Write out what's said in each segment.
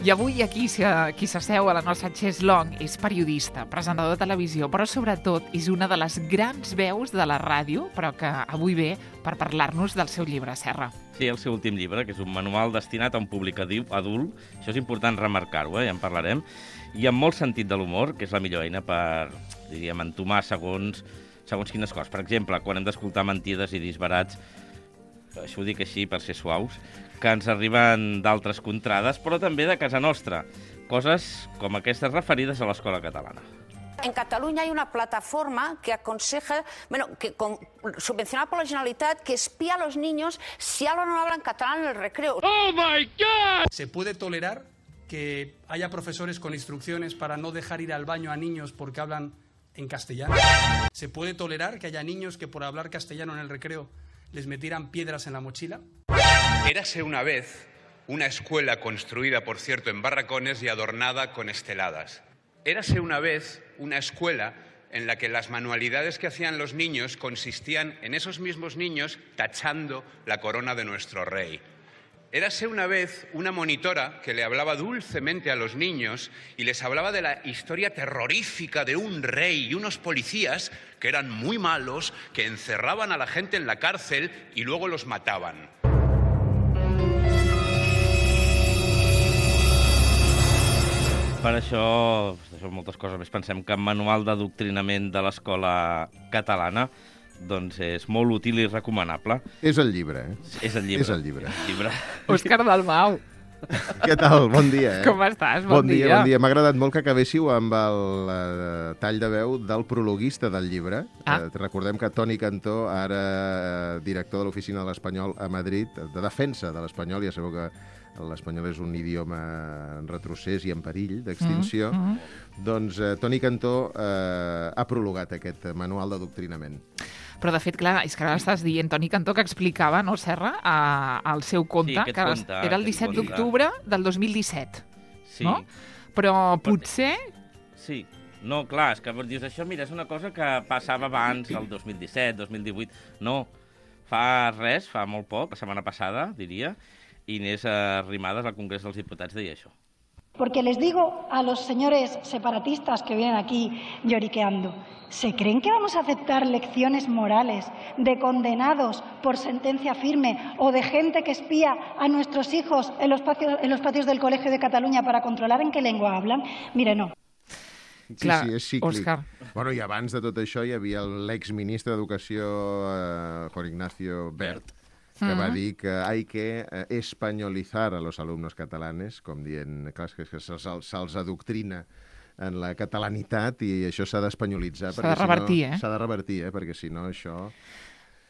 I avui aquí qui s'asseu a la nostra chaiselong és periodista, presentador de televisió, però sobretot és una de les grans veus de la ràdio, però que avui ve per parlar-nos del seu llibre, Serra. Sí, el seu últim llibre, que és un manual destinat a un públic adult. Això és important remarcar-ho, ja en parlarem. I amb molt sentit de l'humor, que és la millor eina per, diríem, entomar segons quines coses. Per exemple, quan hem d'escoltar mentides i disbarats, això ho dic així per ser suaus, que ens arriben d'altres contrades, però també de casa nostra. Coses com aquestes referides a l'escola catalana. En Cataluña hay una plataforma que aconseja, subvencionada por la Generalitat, que espía a los niños si hablan o no hablan catalán en el recreo. ¡Oh, my God! ¿Se puede tolerar que haya profesores con instrucciones para no dejar ir al baño a niños porque hablan en castellano? ¿Se puede tolerar que haya niños que por hablar castellano en el recreo les metieran piedras en la mochila? Érase una vez una escuela construida, por cierto, en barracones y adornada con esteladas. Érase una vez una escuela en la que las manualidades que hacían los niños consistían en esos mismos niños tachando la corona de nuestro rey. Érase una vez una monitora que le hablaba dulcemente a los niños y les hablaba de la historia terrorífica de un rey y unos policías que eran muy malos, que encerraban a la gente en la cárcel y luego los mataban. Per això moltes coses més, pensem que el manual d'adoctrinament de l'escola catalana doncs és molt útil i recomanable. És el llibre, eh? És el llibre. És el llibre. Òscar Dalmau. Què tal? Bon dia, eh? Com estàs? Bon dia. Bon dia. M'ha agradat molt que acabéssiu amb el tall de veu del prologuista del llibre. Recordem que Toni Cantó, ara director de l'Oficina de l'Espanyol a Madrid, de defensa de l'espanyol, ja sabeu que l'espanyol és un idioma en retrocés i en perill d'extinció, doncs Toni Cantó ha prologat aquest manual d'adoctrinament. Però, de fet, clar, és que ara estàs dient Toni Cantó, que explicava, no, Serra, el seu conte, que era el 17 d'octubre del 2017, no? Però potser... Sí, no, clar, és que dius això, mira, és una cosa que passava abans, el 2017, 2018, no, fa molt poc, la setmana passada, diria, Inés Arrimadas al Congrés dels Diputats deia això. Porque les digo a los señores separatistas que vienen aquí lloriqueando, ¿se creen que vamos a aceptar lecciones morales de condenados por sentencia firme o de gente que espía a nuestros hijos en los patios del Colegio de Cataluña para controlar en qué lengua hablan? Mire, no. Sí, és cíclic. Òscar. Bueno, i abans de tot això hi havia l'exministre d'Educació, Juan Ignacio Bert, que va dir que hay que españolizar a los alumnos catalanes, com dient, clar, que se'ls adoctrina en la catalanitat i això s'ha d'espanyolitzar. S'ha de revertir, S'ha de revertir, perquè si no això...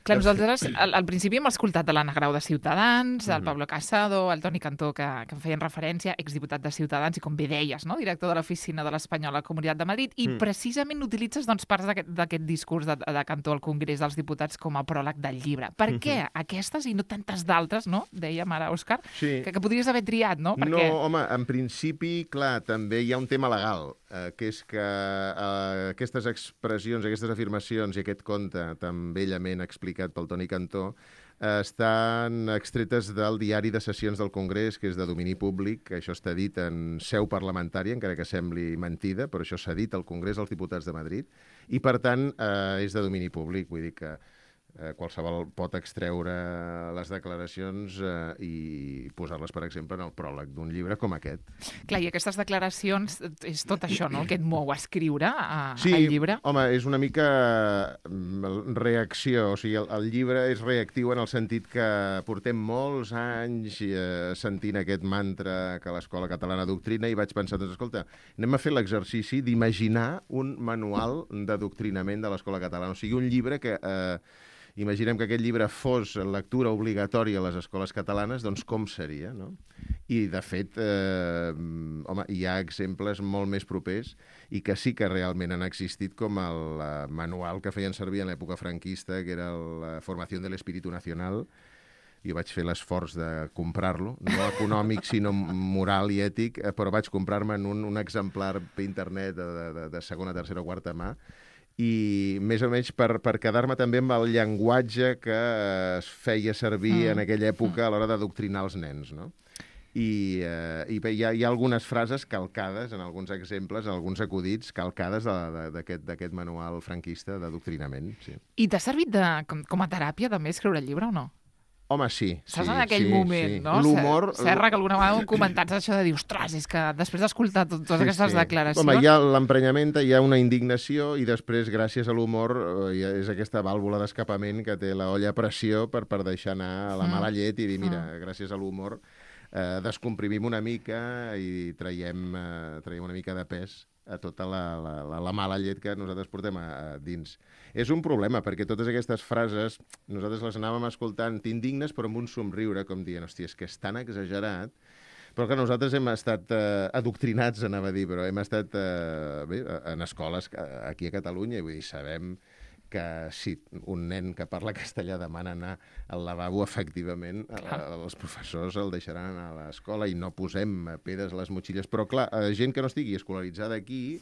Clar, nosaltres al principi hem escoltat de l'Anna Grau de Ciutadans, el Pablo Casado, el Toni Cantó, que em feien referència, exdiputat de Ciutadans, i com bé deies, no? Director de l'Oficina de l'Espanyol a la Comunitat de Madrid, i precisament utilitzes parts d'aquest discurs de Cantó al Congrés dels Diputats com a pròleg del llibre. Per què aquestes i no tantes d'altres, no? Dèiem ara, Òscar, que podries haver triat, no? No, home, en principi, clar, també hi ha un tema legal, que és que aquestes expressions, aquestes afirmacions i aquest conte tan bellament explicat pel Toni Cantó estan extretes del diari de sessions del Congrés, que és de domini públic, que això està dit en seu parlamentària, encara que sembli mentida, però això s'ha dit al Congrés dels Diputats de Madrid, i per tant és de domini públic, vull dir que qualsevol pot extreure les declaracions i posar-les, per exemple, en el pròleg d'un llibre com aquest. Clar, i aquestes declaracions és tot això, no?, el que et mou a escriure al llibre. Sí, home, és una mica reacció, o sigui, el llibre és reactiu en el sentit que portem molts anys sentint aquest mantra que l'escola catalana adoctrina i vaig pensar, doncs, escolta, anem a fer l'exercici d'imaginar un manual d'adoctrinament de l'escola catalana, o sigui, un llibre que... Imaginem que aquest llibre fos lectura obligatòria a les escoles catalanes, doncs com seria, no? I, de fet, home, hi ha exemples molt més propers i que sí que realment han existit, com el manual que feien servir en l'època franquista, que era la Formació de l'Espíritu Nacional. Jo vaig fer l'esforç de comprar-lo, no econòmic, sinó moral i ètic, però vaig comprar-me un exemplar per internet de segona, tercera o quarta mà, i més o menys per quedar-me també amb el llenguatge que es feia servir en aquella època a l'hora d'adoctrinar els nens, no? i bé, hi ha algunes frases calcades, en alguns exemples, en alguns acudits, calcades d'aquest manual franquista d'adoctrinament. Sí. I t'ha servit com a teràpia també escriure el llibre o no? Home, sí. Saps en aquell moment, no? L'humor... Serra, que alguna vegada ho comentats això de dir, ostres, és que després d'escoltar totes aquestes declaracions... Home, hi ha l'emprenyament, hi ha una indignació i després, gràcies a l'humor, és aquesta vàlvula d'escapament que té la olla a pressió per deixar anar la mala llet i dir, mira, gràcies a l'humor descomprimim una mica i traiem una mica de pes a tota la mala llet que nosaltres portem a dins. És un problema, perquè totes aquestes frases nosaltres les anàvem escoltant indignes però amb un somriure, com dient, hòstia, és que és tan exagerat, però que nosaltres hem estat adoctrinats, anava a dir, però hem estat en escoles aquí a Catalunya, i vull dir, sabem que si un nen que parla castellà demana anar al lavabo, efectivament, els professors el deixaran anar a l'escola i no posem pedres a les motxilles. Però, clar, gent que no estigui escolaritzada aquí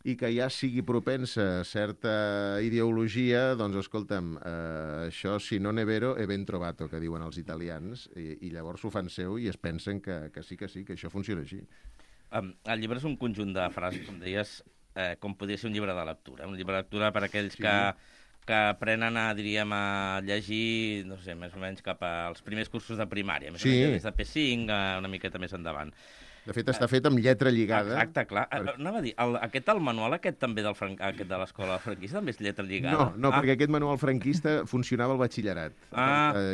i que ja sigui propensa a certa ideologia, doncs, escolta'm, això, si no ne vero, è ben trovato, que diuen els italians, i llavors ho fan seu i es pensen que sí, que això funciona així. El llibre és un conjunt de frases, com deies, com podria ser un llibre de lectura. Un llibre de lectura per a aquells que aprenen diríem, a llegir, no sé, més o menys cap als primers cursos de primària, més o menys des de P5, una miqueta més endavant. De fet, està fet amb lletra lligada. Exacte, clar. Anava a dir, el manual aquest també aquest de l'escola franquista també és lletra lligada? No, perquè aquest manual franquista funcionava al batxillerat.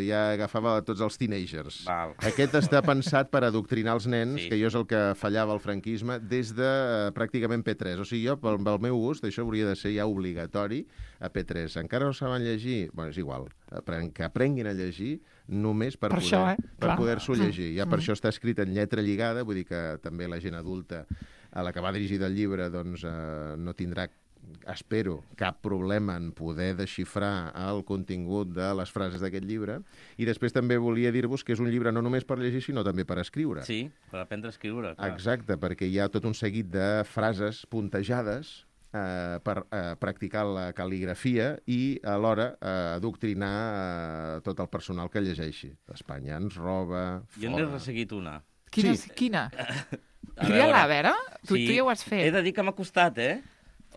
Ja agafava tots els teenagers. Aquest està pensat per adoctrinar els nens, que jo és el que fallava al franquisme, des de pràcticament P3. O sigui, jo, pel meu gust, això hauria de ser ja obligatori a P3. Encara no saben llegir? Bé, és igual. Que aprenguin a llegir només per poder-s'ho llegir. Ja per això està escrit en lletra lligada, vull dir que també la gent adulta a la que va dirigir el llibre doncs, no tindrà, espero, cap problema en poder desxifrar el contingut de les frases d'aquest llibre. I després també volia dir-vos que és un llibre no només per llegir, sinó també per escriure. Sí, per aprendre a escriure. Clar. Exacte, perquè hi ha tot un seguit de frases puntejades per practicar la cal·ligrafia i alhora adoctrinar tot el personal que llegeixi. Espanya ens roba... Jo n'he resseguit una. Quina? Tria-la, a veure? Tu ja ho has fet. He de dir que m'ha costat,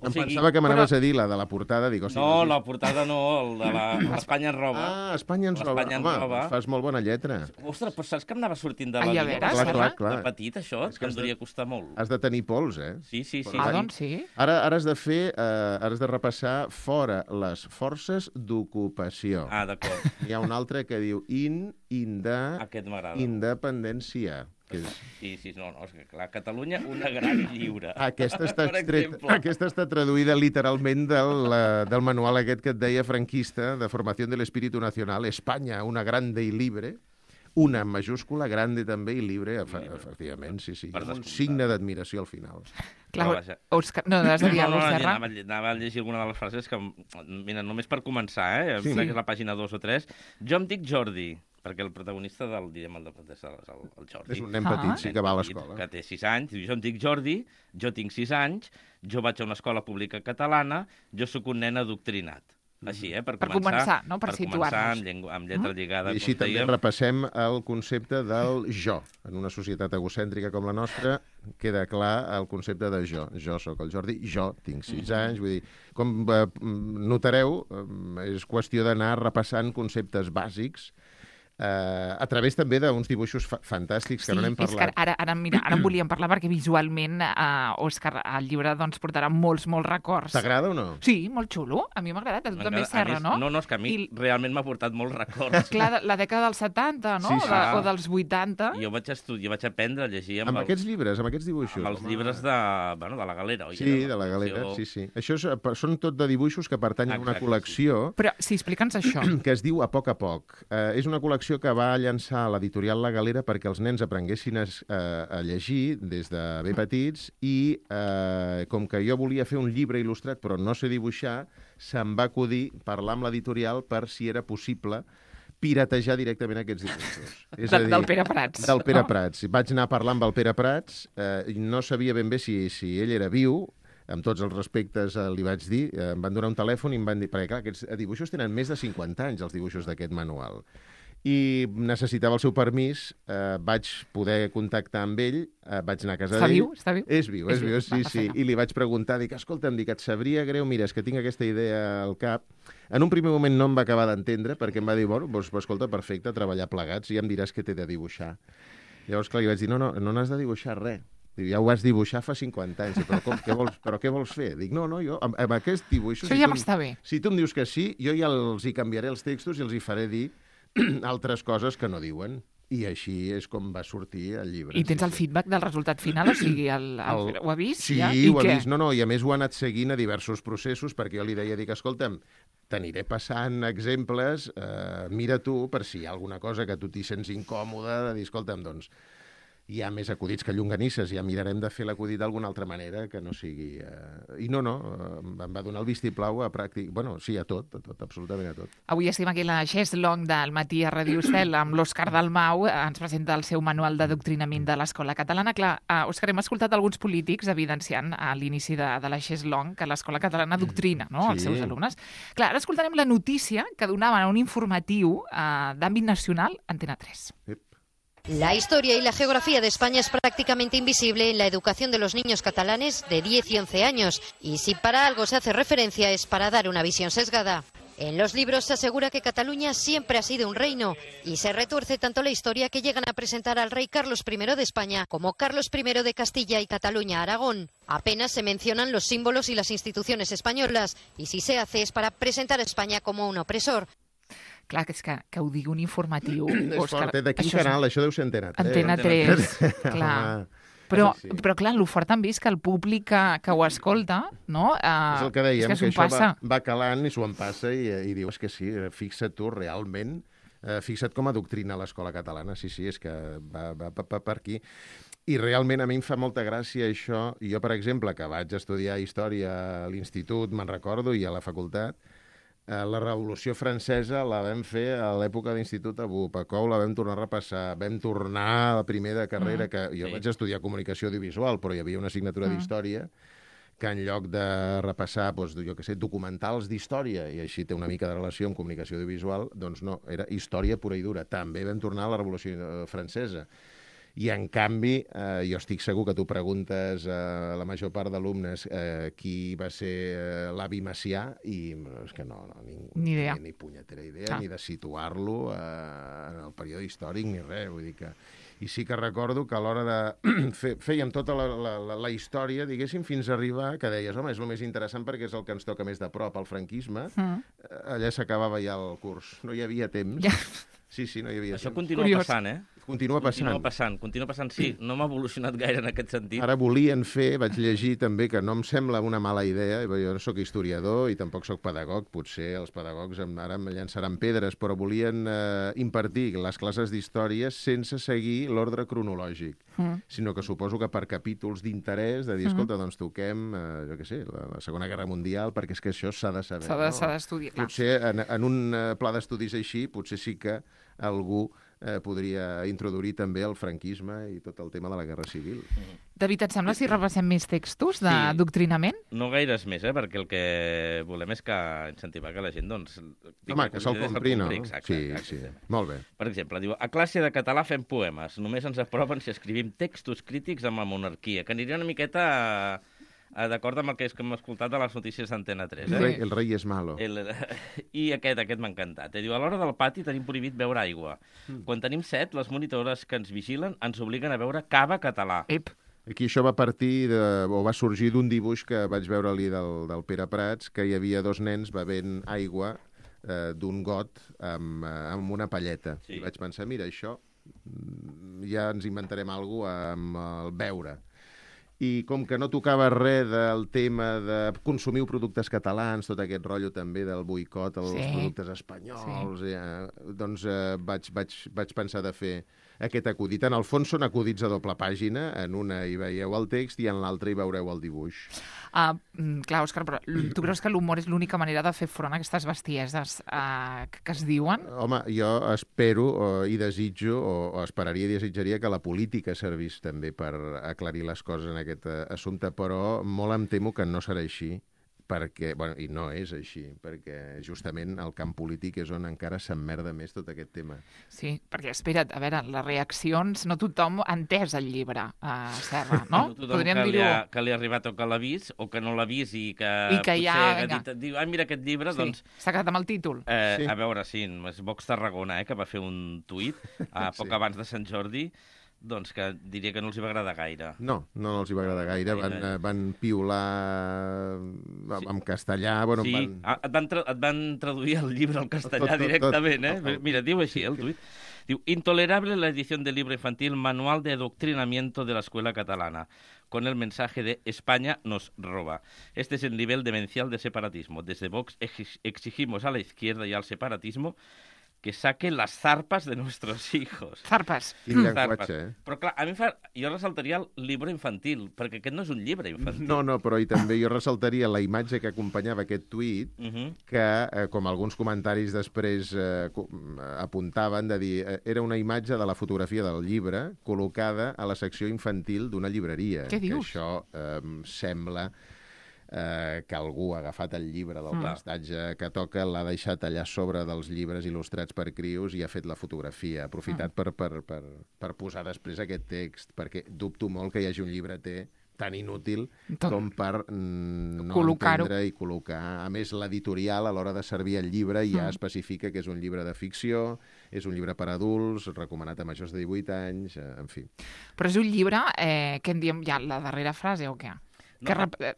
Em pensava que m'anaves a dir la de la portada. Dic, no, la portada no, el de l'Espanya ens roba. Espanya ens roba. Home, fas molt bona lletra. Ostres, però saps que em anava sortint de la vida? Clar. De petit, això, que em devia costar molt. Has de tenir pols, Sí. Doncs sí. Ara has de fer, has de repassar fora les forces d'ocupació. D'acord. Hi ha un altre que diu independència. Sí, no, és que clar, Catalunya, una gran lliure. Aquesta està traduïda literalment del manual aquest que et deia franquista, de Formació de l'Espíritu Nacional, Espanya, una grande i libre, una en majúscula, grande també i libre, efectivament, sí. Un signe d'admiració al final. Clar, Òscar, no, has de dir alguna cosa, Serra? Anava a llegir alguna de les frases que, mira, només per començar, em sembla que és la pàgina 2 o 3. Jo em dic Jordi, perquè el protagonista el Jordi. És un nen petit, sí, que va a l'escola. Que té 6 anys. Jo em dic Jordi, jo tinc 6 anys, jo vaig a una escola pública catalana, jo sóc un nen adoctrinat. Així, per començar, no? Per situar-nos. Amb lletra lligada. I així també repassem el concepte del jo. En una societat egocèntrica com la nostra, queda clar el concepte de jo. Jo sóc el Jordi, jo tinc 6 anys. Vull dir, com notareu, és qüestió d'anar repassant conceptes bàsics a través també d'uns dibuixos fantàstics que no n'hem parlat. Sí, ara en volíem parlar perquè visualment, Òscar, el llibre doncs, portarà molts records. T'agrada o no? Sí, molt xulo. A mi m'ha agradat. A tu també, Serra, no? No, és que a mi realment m'ha portat molts records. Clar, la dècada dels 70, no? Sí. O dels 80. Jo vaig aprendre a llegir amb aquests llibres, amb aquests dibuixos. Amb els llibres de la Galera, oi? Sí, de la Galera, sí. Això són tot de dibuixos que pertanyen a una col·lecció... Però, sí, explica'ns això. Que es diu A poc a poc. És una col·lecció que va llançar l'editorial La Galera perquè els nens aprenguessin a llegir des de ben petits i com que jo volia fer un llibre il·lustrat però no sé dibuixar, se'm va acudir parlar amb l'editorial per si era possible piratejar directament aquests dibuixos. Del Pere Prats. Del Pere Prats. Vaig anar a parlar amb el Pere Prats, no sabia ben bé si ell era viu, amb tots els respectes li vaig dir, em van donar un telèfon i em van dir, perquè clar, aquests dibuixos tenen més de 50 anys, els dibuixos d'aquest manual. i necessitava el seu permís, vaig poder contactar amb ell, vaig anar a casa d'ell. Està viu? És viu, sí. I li vaig preguntar, escolta'm, et sabria greu, mira, és que tinc aquesta idea al cap. En un primer moment no em va acabar d'entendre, perquè em va dir, bueno, doncs, escolta, perfecte, treballar plegats, i ja em diràs què t'he de dibuixar. Llavors, clar, li vaig dir, no n'has de dibuixar res. Diu, ja ho vas dibuixar fa 50 anys, però què vols fer? Dic, no, jo amb aquest dibuix... Això ja m'està bé. Si tu em dius que sí, jo ja els hi canviaré els textos i els hi faré dir altres coses que no diuen. I així és com va sortir el llibre. I tens el feedback del resultat final? O sigui, ho ha vist? Sí, ja? Ho ha vist. No, i a més ho ha anat seguint a diversos processos, perquè jo li deia, escolta'm, t'aniré passant exemples, mira tu, per si hi ha alguna cosa que tu t'hi sents incòmode, de dir, escolta'm, doncs, hi ha més acudits que llonganisses, ja mirarem de fer l'acudit d'alguna altra manera, que no sigui... I no, em va donar el vistiplau a pràctic... Bueno, sí, a tot, absolutament a tot. Avui estem aquí a la Chess Long del matí a Radio Estel amb l'Òscar Dalmau. Ens presenta el seu manual d'adoctrinament de l'escola catalana. Clar, Òscar, hem escoltat alguns polítics evidenciant a l'inici de la Chess Long que l'escola catalana adoctrina, no?, els seus alumnes. Clar, ara escoltarem la notícia que donaven a un informatiu d'àmbit nacional, Antena 3. La historia y la geografía de España es prácticamente invisible en la educación de los niños catalanes de 10 y 11 años, y si para algo se hace referencia es para dar una visión sesgada. En los libros se asegura que Cataluña siempre ha sido un reino, y se retuerce tanto la historia que llegan a presentar al rey Carlos I de España como Carlos I de Castilla y Cataluña-Aragón. Apenas se mencionan los símbolos y las instituciones españolas, y si se hace es para presentar a España como un opresor. Clar, que és que ho digui un informatiu, Òscar. De quin canal? Això deu ser Antena 3. Antena 3, clar. Però clar, el fort també és que el públic que ho escolta, no? És el que dèiem, és que això va calant i s'ho en passa i dius que sí, fixa't tu realment, fixa't com adoctrina l'escola catalana. Sí, és que va per aquí. I realment a mi em fa molta gràcia això. Jo, per exemple, que vaig estudiar història a l'institut, me'n recordo, i a la facultat, la Revolució Francesa la vam fer a l'època d'institut a Bupacou, la vam tornar a repassar, vam tornar a la primera carrera, que jo vaig estudiar comunicació audiovisual, però hi havia una assignatura d'història que en lloc de repassar, doncs, jo què sé, documentals d'història, i així té una mica de relació amb comunicació audiovisual, doncs no, era història pura i dura. També vam tornar a la Revolució Francesa. I, en canvi, jo estic segur que tu preguntes a la major part d'alumnes qui va ser l'avi Macià, i és que no, ni idea. Ni punyetera idea, ni de situar-lo en el període històric, ni res. Vull dir que... I sí que recordo que a l'hora de... Fèiem tota la història, diguéssim, fins a arribar que deies, home, és el més interessant perquè és el que ens toca més de prop, el franquisme. Allà s'acabava ja el curs. No hi havia temps. Sí, no hi havia temps. Això continua passant, Continua passant, sí. No m'ha evolucionat gaire en aquest sentit. Ara volien fer, vaig llegir també, que no em sembla una mala idea, jo no sóc historiador i tampoc sóc pedagog, potser els pedagogs ara em llançaran pedres, però volien impartir les classes d'història sense seguir l'ordre cronològic, sinó que suposo que per capítols d'interès, de dir, escolta, doncs toquem, jo què sé, la Segona Guerra Mundial, perquè és que això s'ha de saber. S'ha d'estudiar. Potser en un pla d'estudis així, potser sí que algú podria introduir també el franquisme i tot el tema de la Guerra Civil. David, et sembla si repassem més textos d'adoctrinament? No gaires més, perquè el que volem és que incentivar que la gent, doncs... Home, que se'l compri, no? Exacte. Sí. Molt bé. Per exemple, diu, a classe de català fem poemes. Només ens aproven si escrivim textos crítics amb la monarquia, que aniria una miqueta... d'acord amb el que hem escoltat de les notícies d'Antena 3. El rei és malo. I aquest m'ha encantat. Diu, a l'hora del pati tenim prohibit beure aigua. Quan tenim set, les monitores que ens vigilen ens obliguen a beure cava català. Aquí això va partir, o va sorgir d'un dibuix que vaig veure-li del Pere Prats, que hi havia dos nens bevent aigua d'un got amb una palleta. I vaig pensar, mira, això ja ens inventarem alguna cosa amb el beure. I com que no tocava res del tema de consumiu productes catalans, tot aquest rotllo també del boicot als productes espanyols, doncs vaig pensar de fer aquest acudit. En el fons són acudits a doble pàgina, en una hi veieu el text i en l'altra hi veureu el dibuix. Clar, Òscar, però tu creus que l'humor és l'única manera de fer front a aquestes bestieses que es diuen? Home, jo espero i desitjo, o esperaria i desitjaria que la política servís també per aclarir les coses en aquest assumpte, però molt em temo que no serà així, perquè, bueno, i no és així, perquè justament el camp polític és on encara s'emmerda més tot aquest tema. Sí, perquè, espera't, a veure, les reaccions, no tothom ha entès el llibre, Serra, no? No tothom que li ha arribat o que l'ha vist, o que no l'ha vist i que potser ha dit, mira aquest llibre, doncs... S'ha quedat amb el títol. A veure, sí, és Vox Tarragona, que va fer un tuit poc abans de Sant Jordi, doncs que diria que no els hi va agradar gaire. No els hi va agradar gaire. Van piular en castellà. Bueno, sí, et van traduir el llibre al castellà directament, eh? Mira, diu així, el tuit. Diu, intolerable la edición del libro infantil Manual de Adoctrinamiento de la Escuela Catalana, con el mensaje de España nos roba. Este es el nivel demencial de separatismo. Desde Vox exigimos a la izquierda y al separatismo que saquen las zarpas de nuestros hijos. Zarpas. Quin llenguatge, Però clar, a mi jo ressaltaria el llibre infantil, perquè aquest no és un llibre infantil. No, però i també jo ressaltaria la imatge que acompanyava aquest tuit, que, com alguns comentaris després apuntaven, de dir, era una imatge de la fotografia del llibre col·locada a la secció infantil d'una llibreria. Què dius? Que això sembla que algú ha agafat el llibre del prestatge que toca, l'ha deixat allà sobre dels llibres il·lustrats per crios i ha fet la fotografia, aprofitat per posar després aquest text, perquè dubto molt que hi hagi un llibreter tan inútil com per no entendre i col·locar. A més, l'editorial, a l'hora de servir el llibre, ja especifica que és un llibre de ficció, és un llibre per adults, recomanat a majors de 18 anys, en fi. Però és un llibre que en diem ja la darrera frase o què? Que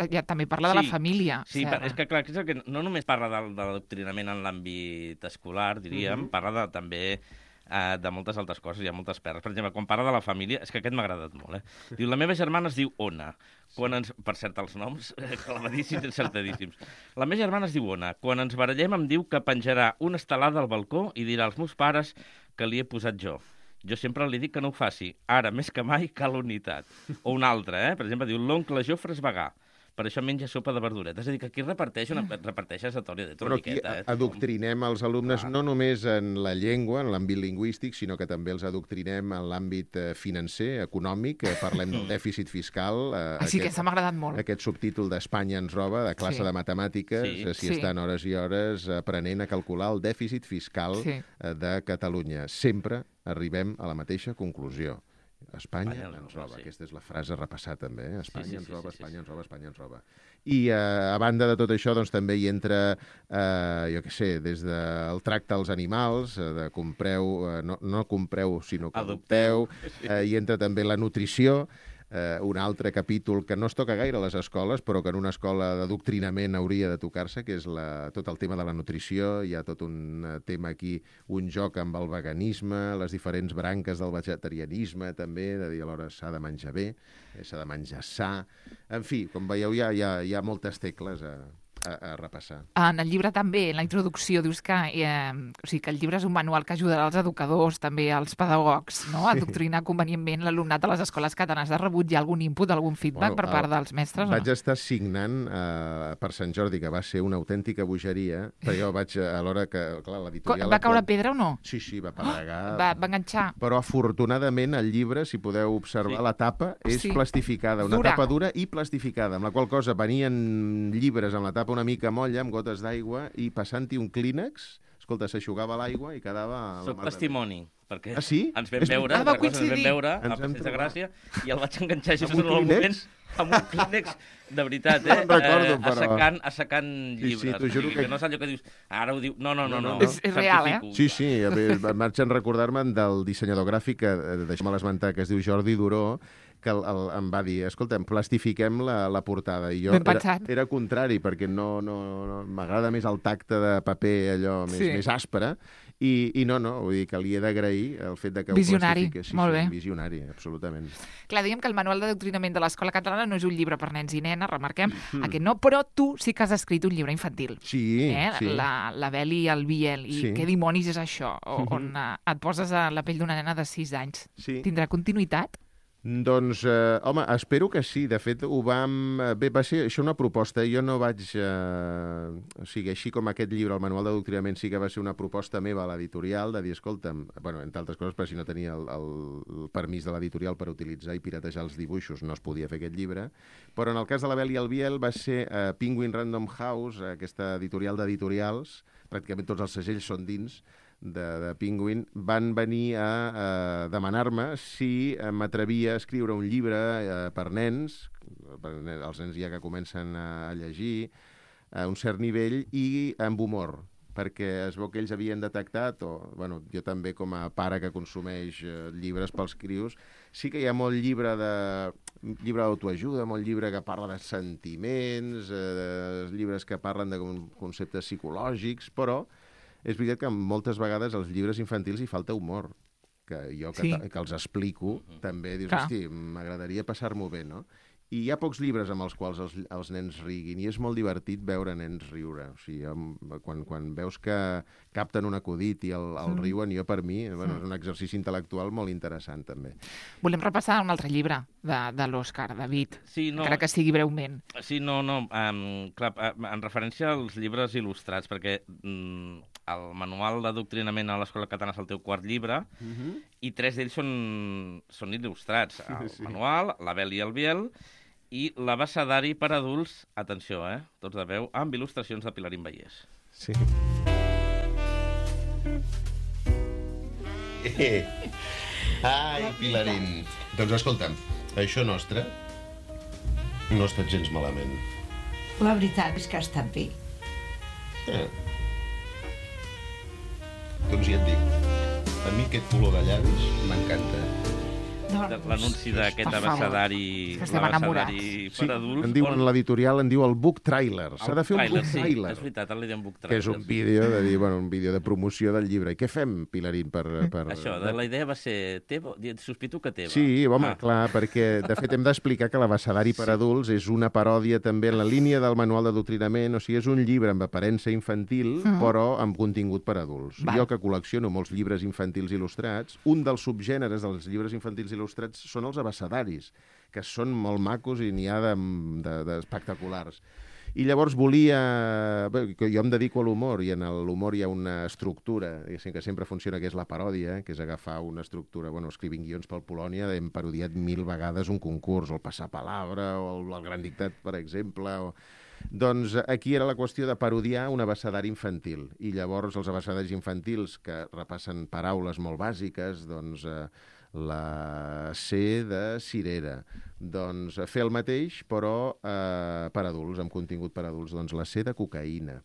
ja també parla de la família. Sí, és que clar, és que no només parla de l'adoctrinament en l'àmbit escolar, diríem, parla també de moltes altres coses, hi ha moltes perles. Per exemple, quan parla de la família, és que aquest m'ha agradat molt, Diu, la meva germana es diu Ona. Per cert, els noms, clavadíssims i encertadíssims. La meva germana es diu Ona. Quan ens barallem em diu que penjarà una estelada al balcó i dirà als meus pares que li he posat jo. Jo sempre li dic que no ho faci. Ara, més que mai, cal unitat. O un altre, per exemple, diu l'oncle Jofre és vegà. Per això menja sopa de verduretes. És a dir, que aquí reparteix esatòria de Però aquí adoctrinem els alumnes no només en la llengua, en l'àmbit lingüístic, sinó que també els adoctrinem en l'àmbit financer, econòmic. Parlem del dèficit fiscal. Sí, que s'ha m'agradat molt. Aquest subtítol d'Espanya ens roba, de classe de matemàtiques, si estan hores i hores aprenent a calcular el dèficit fiscal de Catalunya. Sempre arribem a la mateixa conclusió. Espanya ens roba. Aquesta és la frase a repassar també. Espanya ens roba, Espanya ens roba, Espanya ens roba. I a banda de tot això, doncs també hi entra, jo què sé, des del tracte als animals, de compreu, no compreu, sinó que adopteu. Hi entra també la nutrició, un altre capítol que no es toca gaire a les escoles, però que en una escola d'adoctrinament hauria de tocar-se, que és tot el tema de la nutrició. Hi ha tot un tema aquí, un joc amb el veganisme, les diferents branques del vegetarianisme, també, de dir alhora s'ha de menjar bé, s'ha de menjar sa. En fi, com veieu, hi ha moltes tecles a repassar. En el llibre també, en la introducció, dius que el llibre és un manual que ajudarà als educadors, també als pedagogs, no? A adoctrinar convenientment l'alumnat de les escoles catalanes. Has rebut ja algun input, algun feedback per part dels mestres? Vaig estar signant per Sant Jordi, que va ser una autèntica bogeria, perquè jo vaig, a l'hora que, clar, l'editorial... Va caure pedra o no? Sí, va pedregar. Va enganxar. Però afortunadament el llibre, si podeu observar, la tapa és plastificada, una tapa dura i plastificada, amb la qual cosa venien llibres amb la tapa una mica molla, amb gotes d'aigua, i passant-hi un clínex, escolta, s'aixugava l'aigua i quedava... Soc testimoni, perquè ens vam veure, a Passeig de Gràcia, i el vaig enganxar just en el moment amb un clínex, de veritat, assecant llibres. Sí, t'ho juro que... No és allò que dius, ara ho diu... No. És real, Sí, marxen recordar-me del dissenyador gràfic, deixa'm l'esmentar, que es diu Jordi Duró, que em va dir, escolta'm, plastifiquem la portada. I jo era contrari, perquè no m'agrada més el tacte de paper allò més aspre, i no, vull dir que li he d'agrair el fet que ho plastifiques. Molt bé. Visionari, absolutament. Clar, diguem que el manual d'adoctrinament de l'escola catalana no és un llibre per nens i nenes, remarquem, aquest no, però tu sí que has escrit un llibre infantil. Sí. La Bel i el Biel, i què dimonis és això? On et poses a la pell d'una nena de 6 anys. Tindrà continuïtat? Doncs, home, espero que sí. De fet, ho vam... Bé, va ser això una proposta. Jo no vaig... O sigui, així com aquest llibre, el Manual d'Adoctrinament, sí que va ser una proposta meva a l'editorial, de dir, escolta'm, bueno, entre altres coses, perquè si no tenia el permís de l'editorial per utilitzar i piratejar els dibuixos, no es podia fer aquest llibre. Però en el cas de La Bel i el Biel va ser Penguin Random House, aquesta editorial d'editorials, pràcticament tots els segells són dins, de Penguin, van venir a demanar-me si m'atrevia a escriure un llibre per nens, els nens ja que comencen a llegir, a un cert nivell, i amb humor, perquè es veu que ells havien detectat, o bueno, jo també com a pare que consumeix llibres pels crios, sí que hi ha molt llibre d'autoajuda, molt llibre que parla de sentiments, llibres que parlen de conceptes psicològics, però és veritat que moltes vegades als llibres infantils hi falta humor, que jo que els explico també dius, hosti, m'agradaria passar-m'ho bé, no? I hi ha pocs llibres amb els quals els nens riguin, i és molt divertit veure nens riure. O sigui, quan veus que capten un acudit i el riuen, jo per mi, bueno, és un exercici intel·lectual molt interessant també. Volem repassar un altre llibre de l'Òscar, David, encara que sigui breument. Sí, clar, en referència als llibres il·lustrats, perquè el Manual d'Adoctrinament a l'Escola Catalana és el teu quart llibre, i 3 d'ells són il·lustrats. El Manual, La Bel i el Biel, i l'abecedari per adults, atenció, tots de veu, amb il·lustracions de Pilarín Vallès. Sí. Ai, Pilarín. Doncs escolta'm, això nostre no ha estat gens malament. La veritat és que ha estat bé. Doncs ja et dic, a mi aquest color de llavis m'encanta. L'anunci d'aquest abecedari per adults. L'editorial en diu el book trailer. S'ha de fer un book trailer. És veritat, el diem book trailer. Que és un vídeo de dir, un vídeo de promoció del llibre. I què fem, Pilarín, per... Això, la idea va ser teva, sospito que teva. Sí, home, clar, perquè de fet hem d'explicar que l'abecedari per adults és una paròdia també en la línia del Manual d'Adoctrinament, o sigui, és un llibre amb aparença infantil, però amb contingut per adults. Jo que col·lecciono molts llibres infantils il·lustrats, un dels subgèneres dels llibres infantils il·lustrats són els abecedaris, que són molt macos i n'hi ha d'espectaculars. I llavors volia... Jo em dedico a l'humor, i en l'humor hi ha una estructura, que sempre funciona, que és la paròdia, que és agafar una estructura... Escrivint guions pel Polònia, hem parodiat 1000 vegades un concurs, o el passapalabra, o el Gran Dictat, per exemple... Doncs aquí era la qüestió de parodiar un abecedari infantil. I llavors els abecedaris infantils, que repassen paraules molt bàsiques, doncs... la C de cirera. Doncs fer el mateix, però per adults, amb contingut per adults. Doncs la C de cocaïna.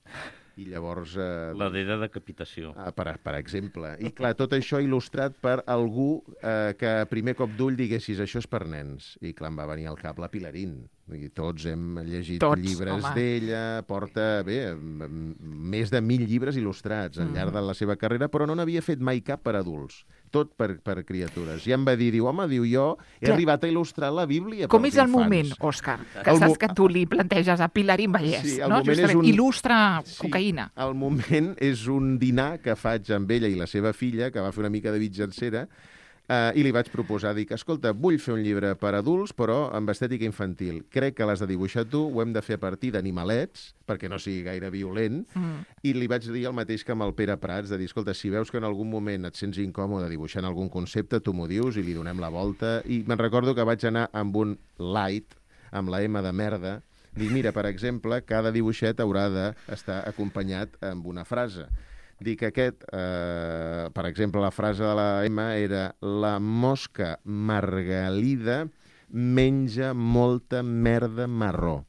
I llavors... la D de decapitació. Per exemple. I clar, tot això il·lustrat per algú que a primer cop d'ull diguessis això és per nens. I clar, em va venir al cap la Pilarín. I tots hem llegit llibres d'ella, porta, més de 1000 llibres il·lustrats al llarg de la seva carrera, però no n'havia fet mai cap per adults, tot per criatures. I em va dir, home, jo he arribat a il·lustrar la Bíblia pels infants. Com és el moment, Òscar? Que saps que tu li planteges a Pilarín Vallès, no? Justament, il·lustra cocaïna. El moment és un dinar que faig amb ella i la seva filla, que va fer una mica de mitjancera, i li vaig proposar, dic, escolta, vull fer un llibre per adults, però amb estètica infantil. Crec que l'has de dibuixar tu, ho hem de fer a partir d'animalets, perquè no sigui gaire violent, i li vaig dir el mateix que amb el Pere Prats, de dir, escolta, si veus que en algun moment et sents incòmode dibuixant algun concepte, tu m'ho dius i li donem la volta. I me'n recordo que vaig anar amb un light, amb la M de merda, dir, mira, per exemple, cada dibuixet haurà d'estar acompanyat amb una frase. Dic aquest, per exemple, la frase de la M era la mosca margalida menja molta merda marró,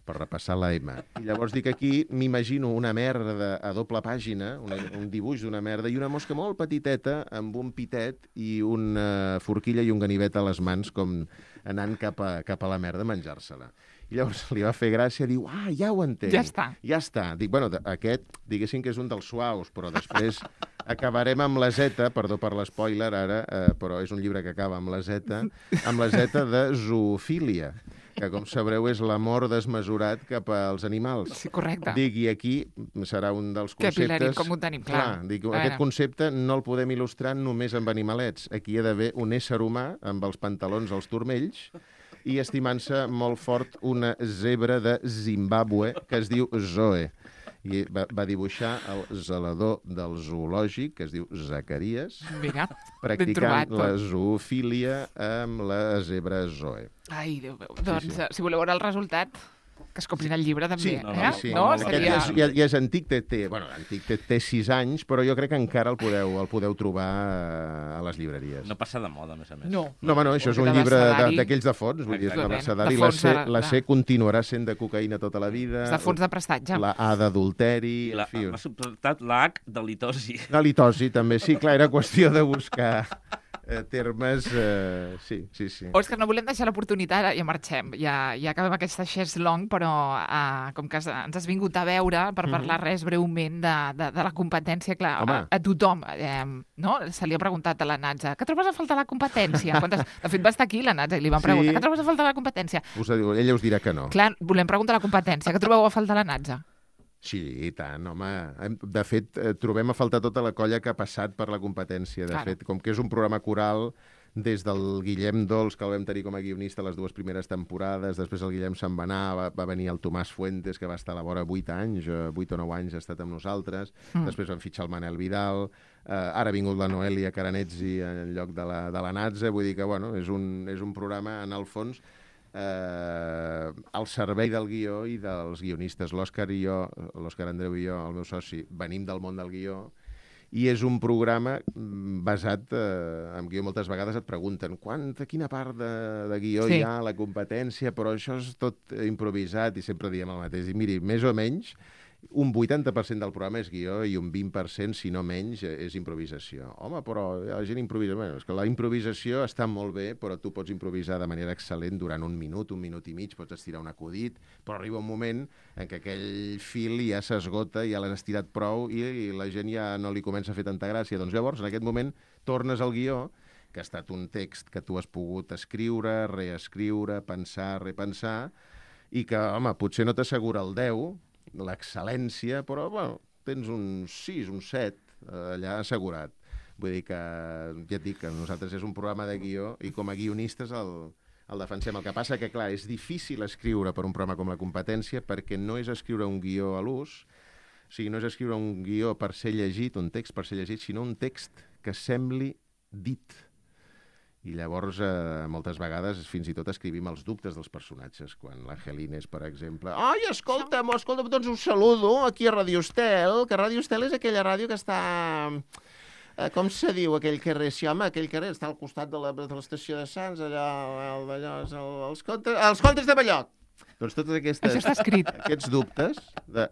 per repassar la M. I llavors dic aquí, m'imagino una merda a doble pàgina, un dibuix d'una merda, i una mosca molt petiteta amb un pitet i una forquilla i un ganivet a les mans, com anant cap a la merda a menjar-se-la. I llavors li va fer gràcia, diu, ja ho entenc. Ja està. Dic, bueno, aquest, diguéssim que és un dels suaus, però després acabarem amb la Z, perdó per l'espoiler ara, però és un llibre que acaba amb la Z de zoofília. que com sabreu és l'amor desmesurat cap als animals. Sí, correcte. Dic, i aquí serà un dels conceptes... Que Pilari, com ho tenim, clar. Dic, aquest concepte no el podem il·lustrar només amb animalets. Aquí hi ha d'haver un ésser humà amb els pantalons als turmells i estimant-se molt fort una zebra de Zimbàbue que es diu Zoe. I va dibuixar el zelador del zoològic, que es diu Zacarias, Mira, practicant la zoofília amb la zebra Zoe. Ai, Déu meu. Doncs, si voleu veure el resultat, que es comprin el llibre, també. Sí. No? Aquest ja és antic, antic, té 6 anys, però jo crec que encara el podeu trobar a les llibreries. No passa de moda, a més a més. No, això és un llibre d'aquells de fons, vull dir, l'abecedari. La C continuarà sent de cocaïna tota la vida. És de fons de prestatge. La A d'adulteri. M'ha sobtat la H de litosi. La litosi, també, sí, clar, era qüestió de buscar termes... Sí. Òscar, no volem deixar l'oportunitat, ja marxem, ja acabem aquesta Xers Long, però com que ens has vingut a veure per parlar res breument de la competència, clar, a tothom, no? Se li ha preguntat a la Natza, què trobes a faltar la competència? De fet, va estar aquí la Natza i li van preguntar, què trobes a faltar la competència? Ella us dirà que no. Clar, volem preguntar la competència, què trobeu a faltar la Natza? Sí, i tant, home. De fet, trobem a faltar tota la colla que ha passat per la competència. De fet, com que és un programa coral, des del Guillem Dols, que el vam tenir com a guionista les 2 primeres temporades, després el Guillem se'n va anar, va venir el Tomàs Fuentes, que va estar a la vora 8 anys, 8 o 9 anys ha estat amb nosaltres, després van fitxar el Manel Vidal, ara ha vingut la Noelia Caranetzi en lloc de la Natza, vull dir que, bueno, és un programa, en el fons, al servei del guió i dels guionistes. L'Òscar Andreu i jo, el meu soci, venim del món del guió i és un programa basat en guió. Moltes vegades et pregunten quina part de guió hi ha, la competència, però això és tot improvisat i sempre diem el mateix. I miri, més o menys, un 80% del programa és guió i un 20%, si no menys, és improvisació. Home, però la gent improvisa. Bé, és que la improvisació està molt bé, però tu pots improvisar de manera excel·lent durant un minut i mig, pots estirar un acudit, però arriba un moment en què aquell fil ja s'esgota, ja l'has estirat prou i la gent ja no li comença a fer tanta gràcia. Doncs llavors, en aquest moment, tornes al guió, que ha estat un text que tu has pogut escriure, reescriure, pensar, repensar, i que, home, potser no t'assegura el 10, l'excel·lència, però bueno, tens un 6, un 7 allà assegurat. Vull dir que, ja et dic, que nosaltres és un programa de guió i com a guionistes el defensem. El que passa que, clar, és difícil escriure per un programa com La Competència perquè no és escriure un guió a l'ús, o sigui, no és escriure un guió per ser llegit, un text per ser llegit, sinó un text que sembli dit. I llavors, moltes vegades, fins i tot escrivim els dubtes dels personatges. Quan l'Angelines, per exemple... Ai, escolta'm, doncs us saludo aquí a Radio Estel, que Radio Estel és aquella ràdio que està... Com se diu aquell carrer? Sí, home, aquell carrer està al costat de l'estació de Sants, allà, els contes de Balloc. Doncs totes aquests dubtes de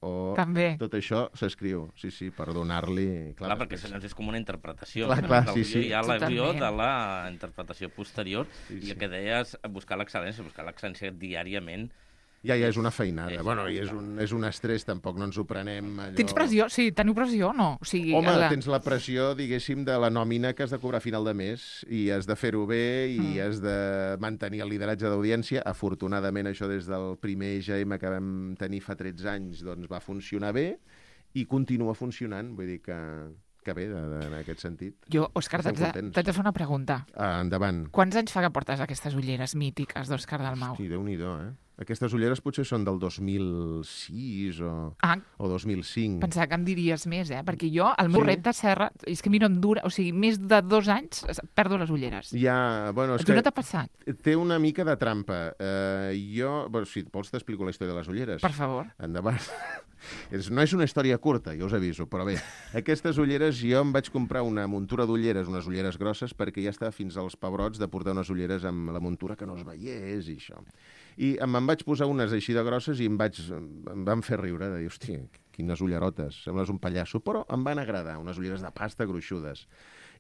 o... També. Tot això s'escriu, sí, per donar-li... Clar, perquè és com una interpretació. Clar, sí. Hi ha la guió de la interpretació posterior i el que deies, buscar l'excel·lència diàriament. Ja és una feinada. Bueno, i és un estrès, tampoc no ens ho prenem allò... Tens pressió? Sí, teniu pressió o no? O sigui, home, tens la pressió, diguéssim, de la nòmina que has de cobrar a final de mes i has de fer-ho bé i has de mantenir el lideratge d'audiència. Afortunadament, això des del primer EGM que vam tenir fa 13 anys, doncs va funcionar bé i continua funcionant. Vull dir que bé, en aquest sentit. Jo, Òscar, t'haig de fer una pregunta. Endavant. Quants anys fa que portes aquestes ulleres mítiques d'Òscar Dalmau? Hosti, Déu-n'hi-do, Aquestes ulleres potser són del 2006 o 2005. Pensava que em diries més, perquè jo, el meu repte serra, és que a mi no em dura, o sigui, més de 2 anys perdo les ulleres. Ja, bueno, és que... no t'ha passat? Té una mica de trampa. Si vols t'explico la història de les ulleres. Per favor. Endavant. No és una història curta, ja us aviso, però bé, aquestes ulleres, jo em vaig comprar una muntura d'ulleres, unes ulleres grosses, perquè ja estava fins als pebrots de portar unes ulleres amb la muntura que no es veiés i això. I me'n vaig posar unes així de grosses i em van fer riure, de dir, hòstia, quines ullerotes, sembles un pallasso, però em van agradar, unes ulleres de pasta gruixudes.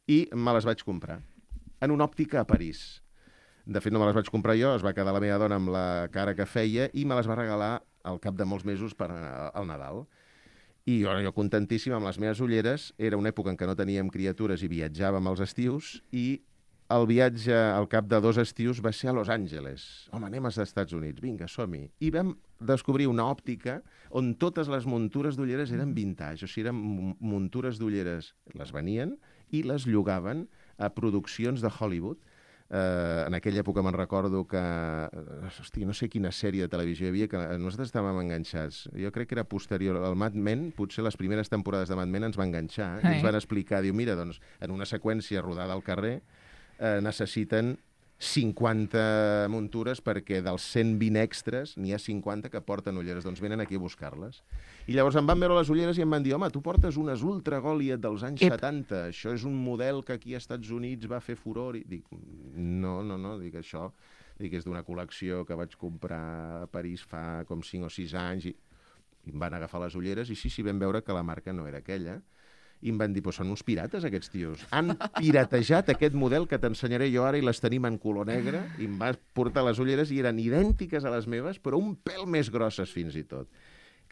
I me les vaig comprar en una òptica a París. De fet, no me les vaig comprar jo, es va quedar la meva dona amb la cara que feia i me les va regalar al cap de molts mesos per al Nadal. I jo contentíssim amb les meves ulleres, era una època en què no teníem criatures i viatjàvem als estius i el viatge al cap de 2 estius va ser a Los Angeles. Home, anem als Estats Units, vinga, som-hi. I vam descobrir una òptica on totes les muntures d'ulleres eren vintage, o sigui, eren muntures d'ulleres, les venien i les llogaven a produccions de Hollywood. En aquella època me'n recordo que, no sé quina sèrie de televisió hi havia, que nosaltres estàvem enganxats. Jo crec que era posterior al Mad Men, potser les primeres temporades de Mad Men ens va enganxar, i ens van explicar, diu, mira, doncs, en una seqüència rodada al carrer necessiten 50 muntures perquè dels 120 extras n'hi ha 50 que porten ulleres, doncs venen aquí a buscar-les. I llavors em van veure les ulleres i em van dir, home, tu portes unes Ultra Goliath dels anys 70, això és un model que aquí als Estats Units va fer furor. I dic, no, dic, això és d'una col·lecció que vaig comprar a París fa com 5 o 6 anys, i em van agafar les ulleres i sí, vam veure que la marca no era aquella. I em van dir, són uns pirates aquests tios. Han piratejat aquest model que t'ensenyaré jo ara i les tenim en color negre, i em vas portar les ulleres i eren idèntiques a les meves, però un pèl més grosses fins i tot,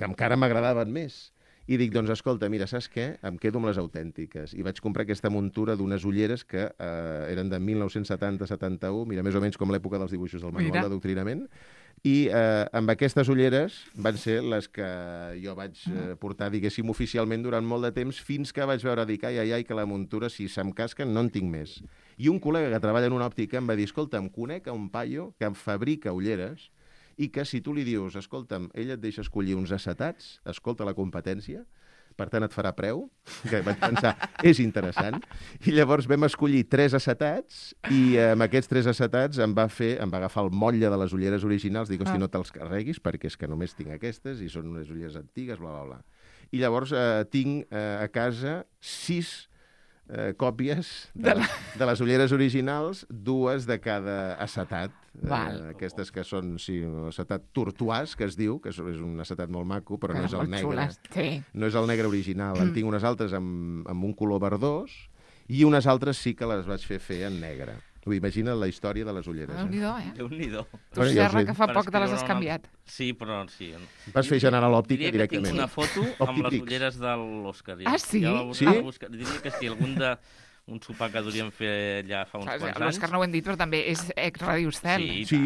que encara m'agradaven més. I dic, doncs escolta, mira, saps què? Em quedo amb les autèntiques. I vaig comprar aquesta muntura d'unes ulleres que eren de 1970-71, mira, més o menys com l'època dels dibuixos del manual d'adoctrinament, i amb aquestes ulleres van ser les que jo vaig portar, diguéssim, oficialment durant molt de temps, fins que vaig veure, dic, ai, que la muntura, si se'm casquen, no en tinc més. I un col·lega que treballa en una òptica em va dir, escolta, em conec a un paio que em fabrica ulleres i que si tu li dius, escolta'm, ell et deixa escollir uns acetats, escolta la competència, per tant et farà preu, que vaig pensar, és interessant, i llavors vam escollir 3 acetats, i amb aquests 3 acetats em va agafar el motlle de les ulleres originals, dic, hosti, no te'ls carreguis, perquè és que només tinc aquestes, i són unes ulleres antigues, bla, bla, bla. I llavors tinc a casa 6 còpies de les ulleres originals, 2 de cada acetat. Aquestes que són, l'acetat turtuàs, que es diu, que és un acetat molt maco, però no és el negre. No és el negre original. En tinc unes altres amb un color verdós i unes altres sí que les vaig fer en negre. Imagina't la història de les ulleres. Déu-n'hi-do. Tu, Serra, que fa poc te les has canviat. Sí, però sí. Vas fer generar l'òptica directament. Diria que tinc una foto amb les ulleres de l'Òscar. Ah, sí? Diria que sí, algun sopar que duríem fer allà fa uns quants anys. L'Òscar no ho hem dit, però també és ex-Radio Estel. Sí,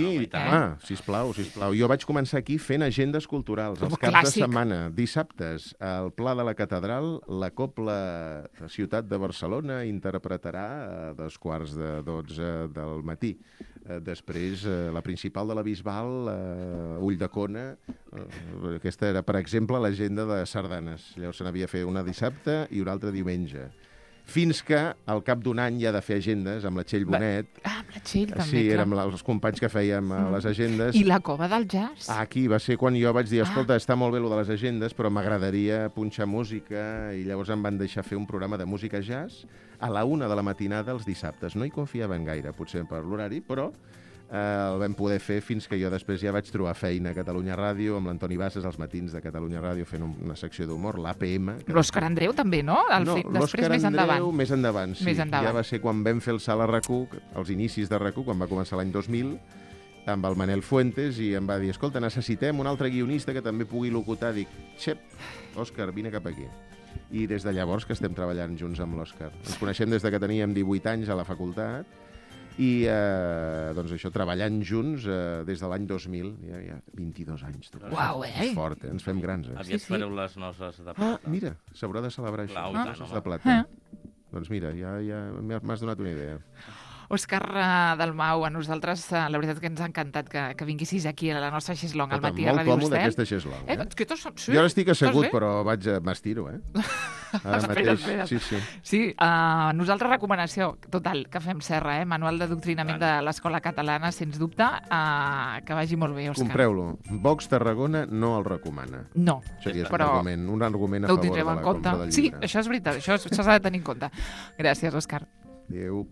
sisplau. Jo vaig començar aquí fent agendes culturals, els caps de setmana, dissabtes, al Pla de la Catedral, la Cobla Ciutat de Barcelona interpretarà a 2:45 del matí. Després, la principal de la Bisbal, Ulldecona, aquesta era, per exemple, l'agenda de sardanes. Llavors se n'havia fet una dissabte i una altra diumenge. Fins que, al cap d'un any, ja de fer agendes, amb la Txell Bonet... amb la Txell, també. Sí, érem els companys que fèiem les agendes. I la Cova del Jazz. Aquí va ser quan jo vaig dir, escolta, està molt bé lo de les agendes, però m'agradaria punxar música, i llavors em van deixar fer un programa de música jazz a la 1 de la matinada els dissabtes. No hi confiaven gaire, potser per l'horari, però el vam poder fer fins que jo després ja vaig trobar feina a Catalunya Ràdio, amb l'Antoni Bassas, als matins de Catalunya Ràdio, fent una secció d'humor, l'APM. L'Òscar Andreu també, no? L'Òscar Andreu més endavant, sí. Ja va ser quan vam fer el salt a RAC1, als inicis de RAC1, quan va començar l'any 2000, amb el Manel Fuentes, i em va dir, escolta, necessitem un altre guionista que també pugui locutar. Dic, xep, Òscar, vine cap aquí. I des de llavors que estem treballant junts amb l'Òscar. Ens coneixem des de que teníem 18 anys a la facultat, i doncs això, treballant junts des de l'any 2000, ja 22 anys. Uau, És fort, ens fem grans. Aviat fareu les noces de plata. Mira, s'haurà de celebrar això, les noces de plata. Doncs mira, ja m'has donat una idea. Òscar Dalmau, a nosaltres la veritat que ens ha encantat que vinguessis aquí a la nostra xeslong al matí a Ràdio Estel. Molt còmode aquesta xeslong. Jo ara estic assegut, però m'estiro, Espera. Sí, nosaltres recomanació total que fem, Serra, Manual d'adoctrinament de l'Escola Catalana, sens dubte, que vagi molt bé, Òscar. Compreu-lo. Vox Tarragona no el recomana. No, però un argument a favor de la compra del llibre. Sí, això és veritat, això s'ha de tenir en compte. Gràcies, Òscar. Adéu.